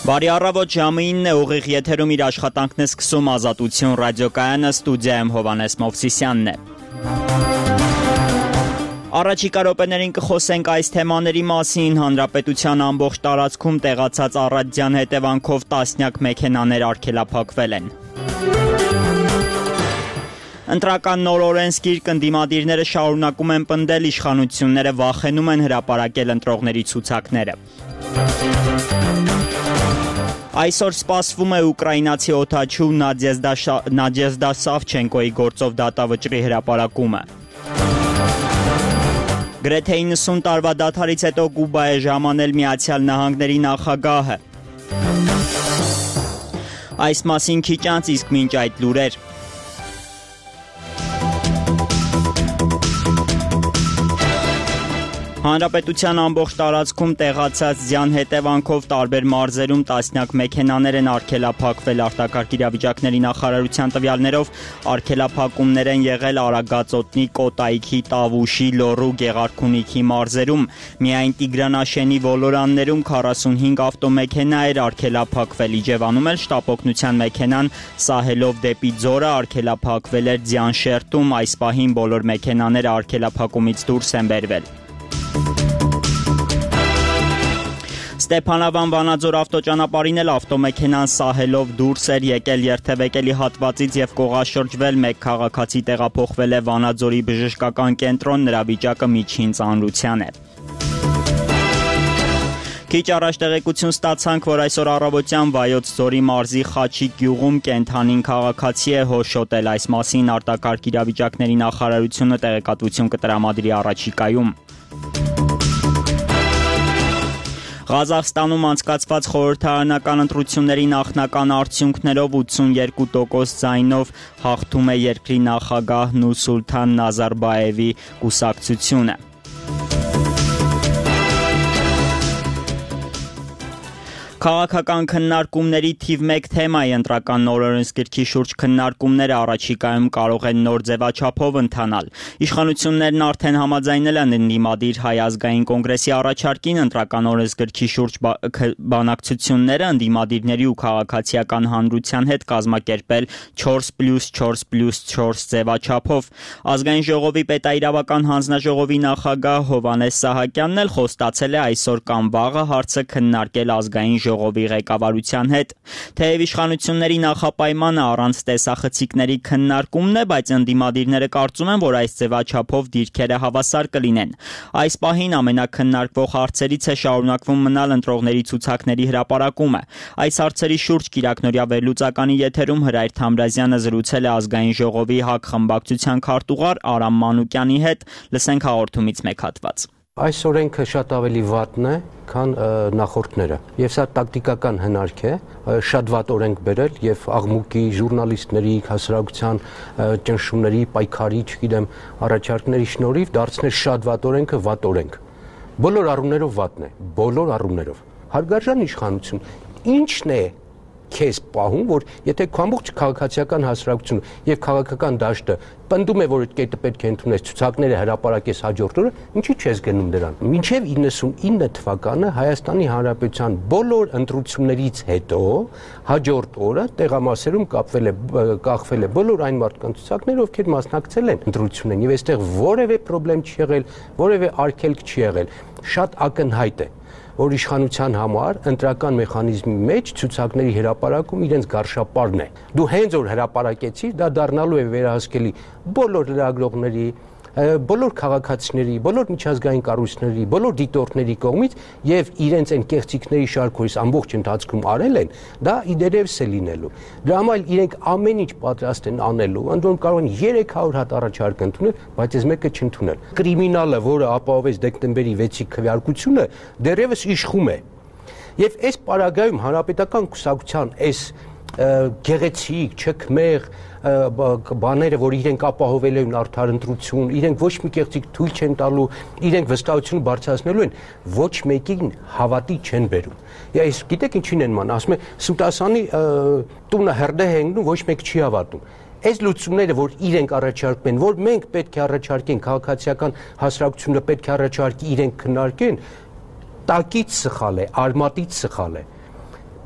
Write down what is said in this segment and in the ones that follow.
Բարի առավոտ, ժամը 9 է, ուղիղ եթերում իր աշխատանքն է սկսում Ազատություն ռադիոկայանը, ստուդիայում Հովհաննես Մովսիսյանն է։ Առաջիկա րոպեներին կխոսենք այս թեմաների մասին։ Հանրապետության ամբողջ տարածքում տեղացած առատության հետևանքով տասնյակ մեքենաներ արգելափակվել են։ Ընտրական նոր օրենսգիրք ընդդիմադիրները շարունակում են պնդել, իշխանությունները վախենում են հրապարակել ընտրողների ցուցակները։ Այսօր սպասվում է ուկրաինացի օդաչու Նադեժդա Սավչենկոյի գործով դատավճռի հրապարակումը։ Գրեթե 90 տարվա դադարից հետո Կուբա է ժամանել Միացյալ Նահանգների նախագահը։ Այս մասին քիչ անց, իսկ մինչ այդ լուրեր։ Հանրապետության ամբողջ տարածքում տեղացած ձյան հետևանքով տարբեր մարզերում տասնյակ մեքենաներ են արգելափակվել։ Արտակարգ իրավիճակների նախարարության տվյալներով արգելափակումներ են եղել Արագածոտնի, Կոտայքի, Տավուշի, Լոռու, Գեղարքունիքի մարզերում։ Միայն Տիգրանաշենի ոլորաններում 45 ավտոմեքենա էր արգելափակվել։ Իջևանում էլ շտապօգնության մեքենան սահելով դեպի Ձորը արգելափակվել էր ձյան շերտում։ Այս պահին բոլոր մեքենաները արգելափակումից դուրս են բերվել։ Ստեփանավան Վանաձոր ավտոճանապարհին էլ ավտոմեքենան սահելով դուրս էր եկել երթևեկելի հատվածից եւ կողաշրջվել։ Մեկ քաղաքացի տեղափոխվել է Վանաձորի բժշկական կենտրոն, նրա վիճակը միջին ծանրության է։ Քիչ առաջ տեղեկություն ստացանք, որ այսօր առավոտյան Վայոց ձորի մարզի Խաչիկ գյուղում կենդանին քաղաքացի է հոշոտել։ Այս մասին արտակարգ իրավիճակների նախարարությունը տեղեկատվություն կտրամադրի առաջիկայում։ Ղազախստանում անցկացված խորհրդարանական ընտրությունների նախնական արդյունքներով 82% ձայնով հաղթում է երկրի նախագահ Նուրսուլթան Նազարբաևի կուսակցությունը։ Քաղաքական քննարկումների թիվ 1 թեմայի ընտրական նոր օրենսգրքի շուրջ քննարկումները առաջիկայում կարող են նոր ձևաչափով ընթանալ։ Իշխանություններն արդեն համաձայնել են ընդդիմադիր Հայ ազգային կոնգրեսի առաջարկին ընտրական օրենսգրքի շուրջ բանակցությունները ընդդիմադիրների ու քաղաքացիական հանրության հետ կազմակերպել 4+4+4 ձևաչափով։ Ազգային ժողովի պետաիրավական հանձնաժողովի նախագահ Հովհաննես Սահակյանն էլ խոստացել է այսօր կամ վաղը հարցը քննարկել ազգային ժողովի ղեկավարության հետ։ Թեև իշխանությունների նախապայմանը առանց տեսախցիկների քննարկումն է, բայց ընդդիմադիրները կարծում են, որ այս ձևաչափով դիրքերը հավասար կլինեն։ Այս պահին ամենակննարկվող հարցերից է շարունակվում մնալ ընտրողների ցուցակների հրապարակումը։ Այս հարցերի շուրջ կիրակնօրյա վերլուծականի եթերում Հրայր Թամրազյանը զրուցել է ազգային ժողովի ՀԱԿ խմբակցության քարտուղար Արամ Մանուկյանի հետ։ Լսենք հաղորդումից մեկ հատված։ Այս օրենքը շատ ավելի վատն է, քան նախորդները։ Եվ սա տակտիկական հնարք է, շատ վատ օրենք բերել եւ աղմուկի, ժուրնալիստների, հասարակության ճնշումների, պայքարի, չգիտեմ, առաջարկների շնորհիվ դարձնել շատ վատ օրենքը վատ օրենք։ Բոլոր առումներով վատն է, բոլոր առումներով։ Հարգարժան իշխանություն, ի՞նչն է քեզ պահում, որ եթե քո ամբողջ քաղաքացիական հասարակությունը եւ քաղաքական դաշտը պնդում է, որ այդ կետը պետք է ընդունես, ցուցակները հրապարակես հաջորդ օրը, ինչի՞ չես գնում դրան։ Մինչեւ 99 թվականը Հայաստանի Հանրապետության բոլոր ընտրություններից հետո հաջորդ օրը տեղամասերում կախվել է բոլոր այն մարդկանց ցուցակները, ովքեր մասնակցել են ընտրություններին, եւ այստեղ որևէ խնդրեմ չի եղել, որևէ արգելք չի եղել։ Շատ ակնհայտ է, որ իշխանության համար ընտրական մեխանիզմի մեջ ցուցակների հրապարակում իրենց գարշապարն է։ Դու հենց որ հրապարակեցիր, դա դառնալու է վերահսկելի բոլոր լրագրողների, բոլոր քաղաքացիների, բոլոր միջազգային կառույցների, բոլոր դիտորդների կողմից եւ իրենց այն կեղծիքների շարքը, որ ամբողջ ընթացքում արել են, դա իդերևս է լինելու։ Դրա համար իրենք ամեն ինչ պատրաստ են անելու, ընդ որում կարող են 300 հատ առաջարկ ընդունել, բայց այս մեկը չընդունել։ Կրիմինալը, որը ապահովեց դեկտեմբերի 6-ի քվեարկությունը, դեռևս իշխում է։ Եվ այս պարագայում հանրապետական կուսակցության այս գեղեցիկ, չքմեղ բաները, որ իրենք ապահովել են արդար ընտրություն, իրենք ոչ մի կեղծիք թույլ չեն տալու, իրենք վստահությունը բարձրացնելու են, ոչ մեկին հավատի չեն բերում։ Այս գիտեք ինչին են ման, ասում է Սուտասանի տունը հրդեհ է ընկնում, ոչ մեկ չի հավատում։ Այս լուծումները, որ իրենք առաջարկում են, որ մենք պետք է առաջարկենք, քաղաքացիական հասարակությունը պետք է առաջարկի, իրենք քննարկեն, տակից սխալ է, արմատից սխալ է։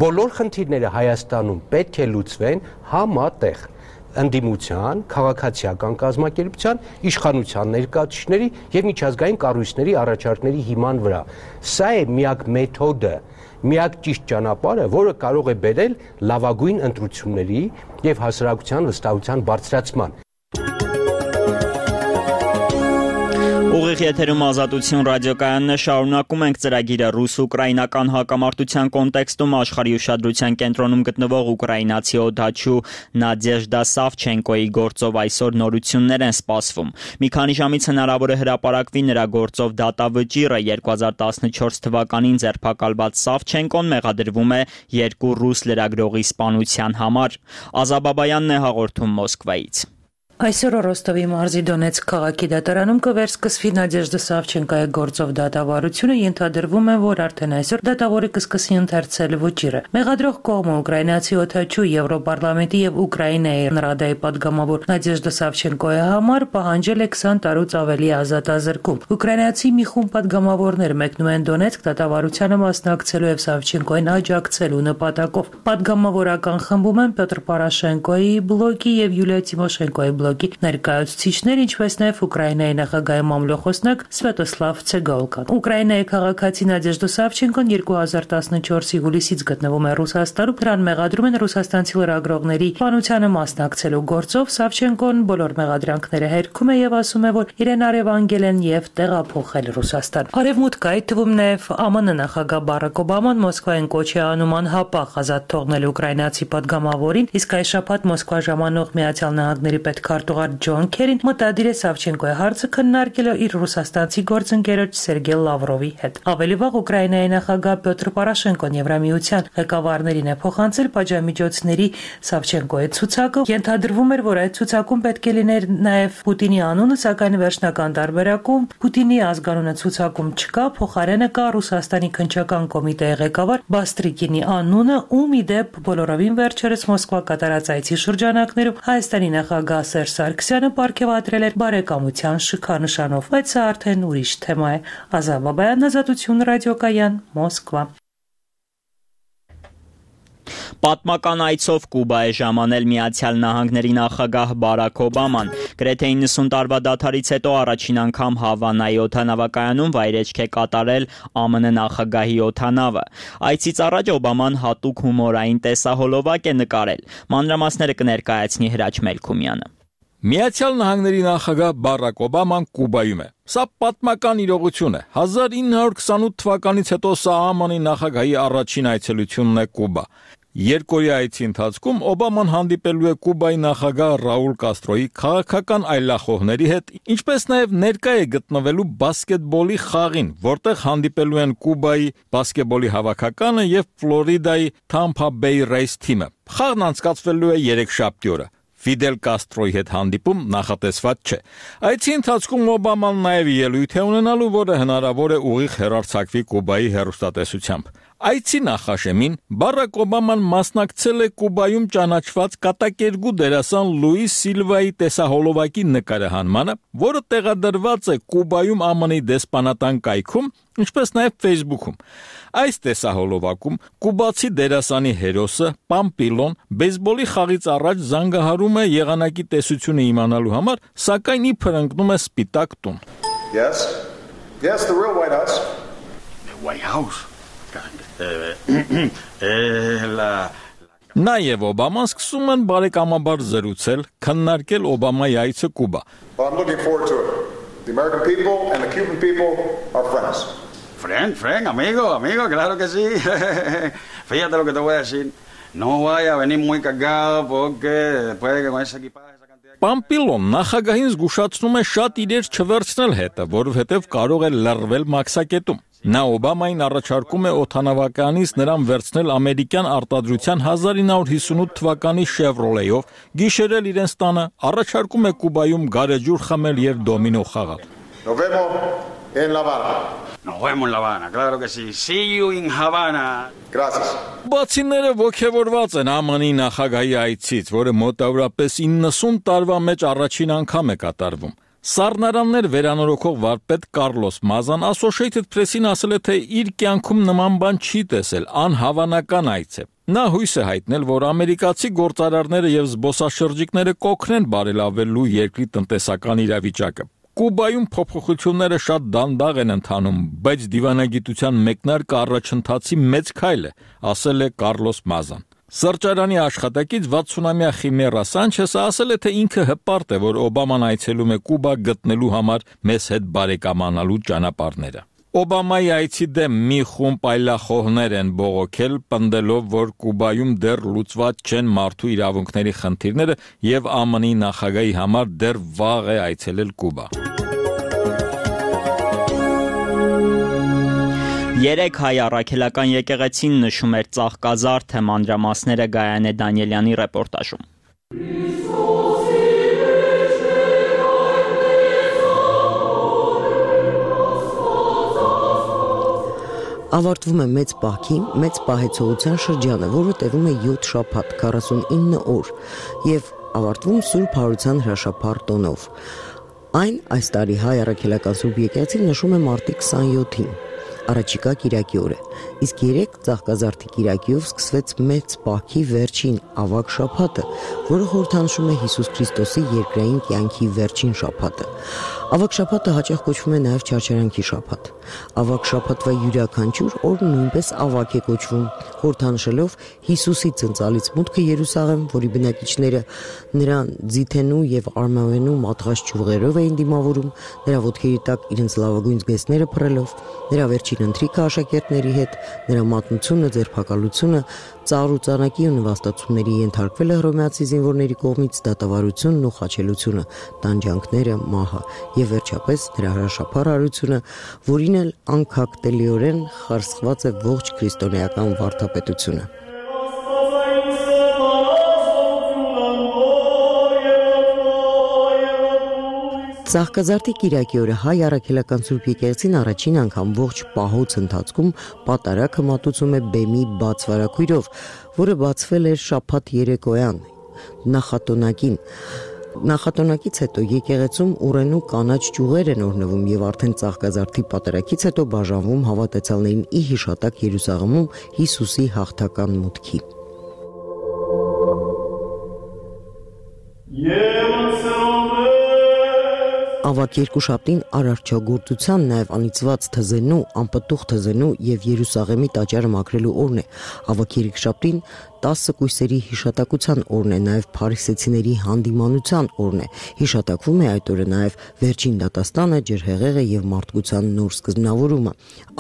բոլոր խնդիրները Հայաստանում պետք է լուծվեն համատեղ ընդդիմության, քաղաքացիական կազմակերպության, իշխանության ներկայացուցիչների եւ միջազգային կառույցների առաջարկների հիման վրա։ Սա է միակ մեթոդը, միակ ճիշտ ճանապարհը, որը կարող է բերել լավագույն ընտրությունների եւ հասարակության վստահության բարձրացման։ Ուղիղ եթերում Ազատություն ռադիոկայանն է, շարունակում ենք ծրագիրը ռուս-ուկրաինական հակամարտության կոնտեքստում աշխարհի ուշադրության կենտրոնում գտնվող ուկրաինացի օդաչու Նադեժդա Սավչենկոյի գործով այսօր նորություններ են սպասվում։ Մի քանի ժամից հնարավոր է հրապարակվի նրա գործով դատավճիռը 2014 թվականին ձերբակալված Սավչենկոն մեղադրվում է 2 ռուս լրագրողի սպանության համար։ Ազաբաբայանն է հաղորդում Մոսկվայից։ Այսօր Ռոստովի մարզի Դոնեցկ քաղաքի դատարանում կվերսկսվի Նադեժդա Սավչենկոյի գործով դատավարությունը, ենթադրվում է, որ արդեն այսօր դատավորը կսկսի ընթերցել վճիռը։ Մեղադրող կողմը ուկրաինացի օդաչու Եվրոպարլամենտի եւ Ուկրաինայի Ռադայի պատգամավոր Նադեժդա Սավչենկոյի համար պահանջել է 20 տարուց ավելի ազատազրկում։ Ուկրաինացի մի խումբ պատգամավորներ մեկնում են Դոնեցկ դատավարությանը մասնակցելու եւ Սավչենկոյին աջակցելու նպատակով։ Պատգամավորական խմբում են Պետր Պորոշենկոյի բլոկի եւ Յուլիա Տիմոշենկոյի բլոկի ներկայացուցիչներ, ինչպես նաև Ուկրաինայի նախագահի մամլոխոսնակ Սվետոսլավ Ցեգոլկան։ Ուկրաինայի քաղաքացի Նադեժդա Սավչենկոն 2014-ի հուլիսից գտնվում է Ռուսաստանում։ Նրան մեղադրում են ռուսաստանցի լրագրողների սպանությանը մասնակցելու գործով։ Սավչենկոն բոլոր մեղադրանքները հերքում է եւ ասում է, որ իրեն առևանգել են եւ տեղափոխել Ռուսաստան։ Արևմուտքը, այդ թվում նաև ԱՄՆ նախագահ Բարակ Օբաման Մոսկվային կոչ է անում անհապաղ ազատ թողնել ուկրաինացի պատգամավորին, իսկ այս շաբաթ Մոսկվա ժամանող Միացյալ Նահանգների պետքարտուղար Ջոն Քերին մտադիր է Սավչենկոյի հարցը քննարկել իր ռուսաստանցի գործընկերոջ Սերգեյ Լավրովի հետ։ Ավելի վաղ Ուկրաինայի նախագահ Պետր Պորոշենկոն Եվրամիության ղեկավարներին է փոխանցել պատժամիջոցների Սավչենկոյի ցուցակը։ Ենթադրվում էր, որ այդ ցուցակում պետք է լիներ նաև Պուտինի անունը, սակայն վերջնական տարբերակում Պուտինի ազգանունը ցուցակում չկա, փոխարենը կա Ռուսաստանի քննչական կոմիտեի ղեկավար Բաստրիկինի անունը, ում ի դեպ բոլորովին վերջերս Մոսկվա կատարած այցի շրջանակներում Հայաստանի նախագահ Սերժ Սարգսյանը պարգևատրել էր բարեկամության շքանշանով, բայց սա արդեն ուրիշ թեմա է։ Ազաբաբայան, Ազատություն ռադիոկայան, Մոսկվա։ Պատմական այցով Կուբա է ժամանել Միացյալ Նահանգների նախագահ Բարակ Օբաման։ Գրեթե 90 տարվա դադարից հետո առաջին անգամ Հավանայի օդանավակայանում վայրեջք է կատարել ԱՄՆ նախագահի օդանավը։ Այցից առաջ Օբաման հատուկ հումորային տեսահոլովակ է նկարել։ Մանրամասները կներկայացնի Հրաչ Մելքումյանը։ Միացյալ Նահանգների նախագահ Բարակ Օբաման Կուբայում է։ Սա պատմական իրողություն է։ 1928 թվականից հետո սա ԱՄՆ նախագահի առաջին այցելությունն է Կուբա։ Երկօրյա այցի ընթացքում Օբաման հանդիպելու է Կուբայի նախագահ Ռաուլ Կաստրոյի քաղաքական այլախոհների հետ, ինչպես նաև ներկա է գտնվելու բասկետբոլի խաղին, որտեղ հանդիպելու են Կուբայի բասկետբոլի հավաքականը եւ Ֆլորիդայի Tampa Bay Rays թիմը։ Խաղն անցկացվելու է երեքշաբթի օրը։ Ֆիդել Կաստրոյի հետ հանդիպում նախատեսված չէ։ Այցի ընթացքում Օբաման նաև ելույթ է ունենալու, որը հնարավոր է ուղիղ հեռարձակվի Կուբայի հեռուստատեսությամբ։ Այցի նախաշեմին Բարակ Օբաման մասնակցել է Կուբայում ճանաչված կատակերգու դերասան Լուիս Սիլվայի տեսահոլովակի նկարահանմանը, որը տեղադրված է Կուբայում ԱՄՆ-ի դեսպանատան կայքում, ինչպես նաև Facebook-ում։ Այս տեսահոլովակում կուբացի դերասանի հերոսը Պամպիլոն բեյսբոլի խաղից առաջ զանգահարում է եղանակի տեսությունը իմանալու համար, սակայն իբր ընկնում է սպիտակ տուն։ Yes, the real White House. White House. Նա եւ Օբաման սկսում են բարեկամաբար զրուցել, քննարկել Օբամայի այցը Կուբա։ Well, I'm looking forward to it. The American people and the Cuban people are friends. Friend, amigo, claro que sí. Fíjate lo que te voy a decir. No vaya a venir muy cargado porque después de que con ese equipaje esa cantidad. Պամպիլոն նախագահին զգուշացնում է շատ իրեր չվերցնել հետը, որովհետև կարող է լռվել մաքսակետում։ Նա Օբամային առաջարկում է օդանավականից նրան վերցնել ամերիկյան արտադրության 1958 թվականի Chevrolet-ով, գիշերել իրենց տանը, առաջարկում է Կուբայում գարեջուր խմել եւ դոմինո խաղալ։ Nos vemos en La Habana. Nos vemos en La Habana, claro que sí. See you in Havana. Gracias. Բացիները ողջևորված են ԱՄՆ-ի նախագահի այցից, որը մոտավորապես 90 տարվա մեջ առաջին անգամ է կատարվում։ Սառնարաններ վերանորոգող վարպետ Կարլոս Մազան Associated Press-ին ասել է, թե իր կյանքում նման բան չի տեսել, անհավանական այց է։ Նա հույս է հայտնել, որ ամերիկացի գործարարները եւ զբոսաշրջիկները կօգնեն բարելավելու երկրի տնտեսական իրավիճակը։ Կուբայում փոփոխությունները շատ դանդաղ են ընթանում, բայց դիվանագիտության մեկնարկը առաջընթացի մեծ քայլ է, ասել է Կարլոս Մազան։ Սրճարանի աշխատակից 60-ամյա Խիմերա Սանչեսը ասել է, թե ինքը հպարտ է, որ Օբաման այցելում է Կուբա գտնելու համար մեզ հետ բարեկամանալու ճանապարհները։ Օբամայի այցի դեմ մի խումբ այլախոհներ են բողոքել, պնդելով, որ Կուբայում դեռ լուծված չեն մարդու իրավունքների խնդիրները եւ ԱՄՆ-ի նախագահի համար դեռ վաղ է այցելել Կուբա։ 3 հայ առաքելական եկեղեցին նշում էր Ծաղկազարդը, մանրամասները Գայանե Դանիելյանի ռեպորտաժում։ Ավարտվում է մեծ պահքի, մեծ պահեցողության շրջանը, որը տևում է 7 շաբաթ, 49 օր, եւ ավարտվում Սուրբ Հարության հրաշափառ տոնով։ Այն այս տարի հայ առաքելական Սուրբ եկեղեցին նշում է մարտի 27-ին, առաջիկա կիրակի օրը, իսկ 3 Ծաղկազարդի կիրակիով սկսվեց մեծ պահքի վերջին ավագ շաբաթը, որը խորհրդանշում է Հիսուս Քրիստոսի երկրային կյանքի վերջին շաբաթը։ Ավագ շաբաթը հաճախ կոչվում է նաև Չարչարանքի շաբաթ։ Ավագ շաբաթվա յուրաքանչյուր օր նույնպես ավագ է կոչվում, խորհրդանշելով Հիսուսի ծնծալից մուտքը Երուսաղեմ, որի բնակիչները նրան ձիթենու եւ արմավենու մատղաշ ճյուղերով էին դիմավորում, նրա ոտքերի տակ իրենց լավագույն զգեստները փռելով, նրա վերջին ընթրիքը աշակերտների հետ, նրա մատնությունը, ձերբակալությունը, ծառ ու ծանակի ու նվաստացումների ենթարկվել է հռոմեացի զինվորների կողմից դատավարությունն ու խաչելությունը, տանջանքները, մահը եւ վերջապես նրա հրաշափառ արությունը, որին էլ անկախտելիորեն խարսխված է ողջ քրիստոնեական վարդապետությունը։ Ծաղկազարդի կիրակի օրը հայ առաքելական Սուրբ եկեղեցին առաջին անգամ ողջ պահոց ընթացքում պատարագը մատուցում է բեմի բաց վարագույրով, որը բացվել էր շաբաթ երեկոյան նախատոնակին։ Նախատոնակից հետո եկեղեցում ուռենու կանաչ ճյուղեր են օրնվում եւ արդեն Ծաղկազարդի պատարագից հետո բաժանվում հավատացյալներին ի հիշատակ Երուսաղեմում Հիսուսի հաղթական մուտքի։ Ավագ երկուշաբթին արարչագործության, նաև անիծված թզենու, անպտուղ թզենու եւ Երուսաղեմի տաճարը մաքրելու օրն է։ Ավագ երեքշաբթին 10 կույսերի հիշատակության օրն է, նաև փարիսեցիների հանդիմանության օրն է։ Հիշատակվում է այդ օրը նաև վերջին դատաստանը, ջրհեղեղը եւ մարդկության նոր սկզբնավորումը։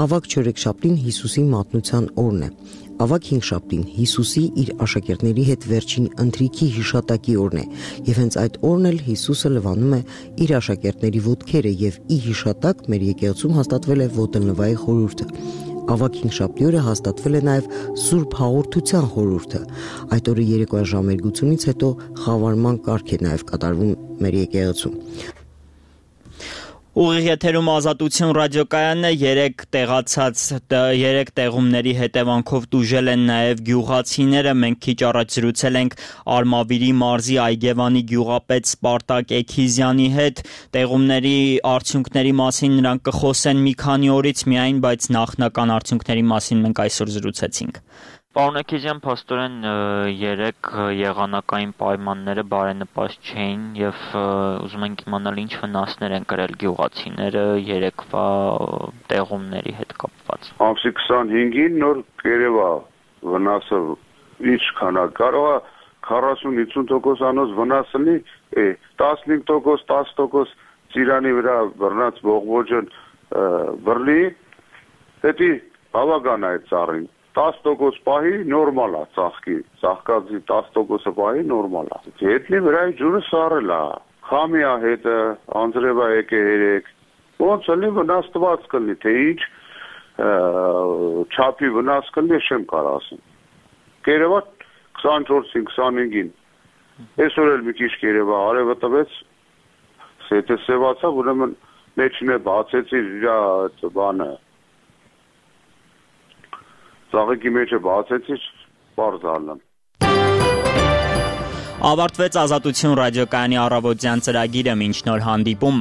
Ավագ չորեքշաբթին Հիսուսի մատնության օրն է։ Ավագ հինգշաբթին Հիսուսի իր աշակերտների հետ վերջին ընթրիքի հիշատակի օրն է, եւ հենց այդ օրն էլ Հիսուսը լվանում է իր աշակերտների ոտքերը եւ ի հիշատակ մեր եկեղեցում հաստատվել է ոտնլվայի խորհուրդը։ Ավագ հինգշաբթի օրը հաստատվել է նաև Սուրբ Հաղորդության խորհուրդը։ Այդ օրը երեկոյան ժամերգությունից հետո խավարման կարգ է նաև կատարվում մեր եկեղեցում։ Ուղիղ եթերում Ազատություն ռադիոկայանն է, 3 տեղումների հետևանքով տուժել են նաև գյուղացիները։ Մենք քիչ առաջ զրուցել ենք Արմավիրի մարզի Այգևանի գյուղապետ Սպարտակ Էքիզյանի հետ։ Տեղումների արդյունքների մասին նրանք կխոսեն մի քանի օրից միայն, բայց նախնական արդյունքների մասին մենք այսօր զրուցեցինք։ Պարոն Էքիզյան, փաստորեն 3 եղանակային պայմանները բարենպաստ չէին եւ ուզում ենք իմանալ ինչ վնասներ են կրել գյուղացիները երեկվա տեղումների հետ կապված։ Ամսի 25-ին նոր կերևա վնասը ինչքան է, կարող է 40-50% անոց վնաս լինի, 15%, 10% ծիրանի վրա բռնած բողբոջն բռնի, դա բավական է ծառին։ 10% պահի նորմալ է ծաղկի, ծաղկածի 10% պահի նորմալ է։ Հետնի վրայի ջուրը սառել է, խամի է հետը, անձրև է եկե երեք, ոնց էլի վնաս տված կլնի, թե ինչ չապի վնաս կլնի, չեմ կարող ասեմ։ Կերևա 24-ին, 25-ին, այսօր էլ մի քիչ կերևա արևը տվեց, սետը սևացա, ուրեմն մեջն է բացեցի իր բանը, ծաղիկի մեջը բացեցի, պարզ ալնեմ։ Ավարտվեց Ազատություն ռադիոկայանի առավոտյան ծրագիրը, մինչ նոր հանդիպում։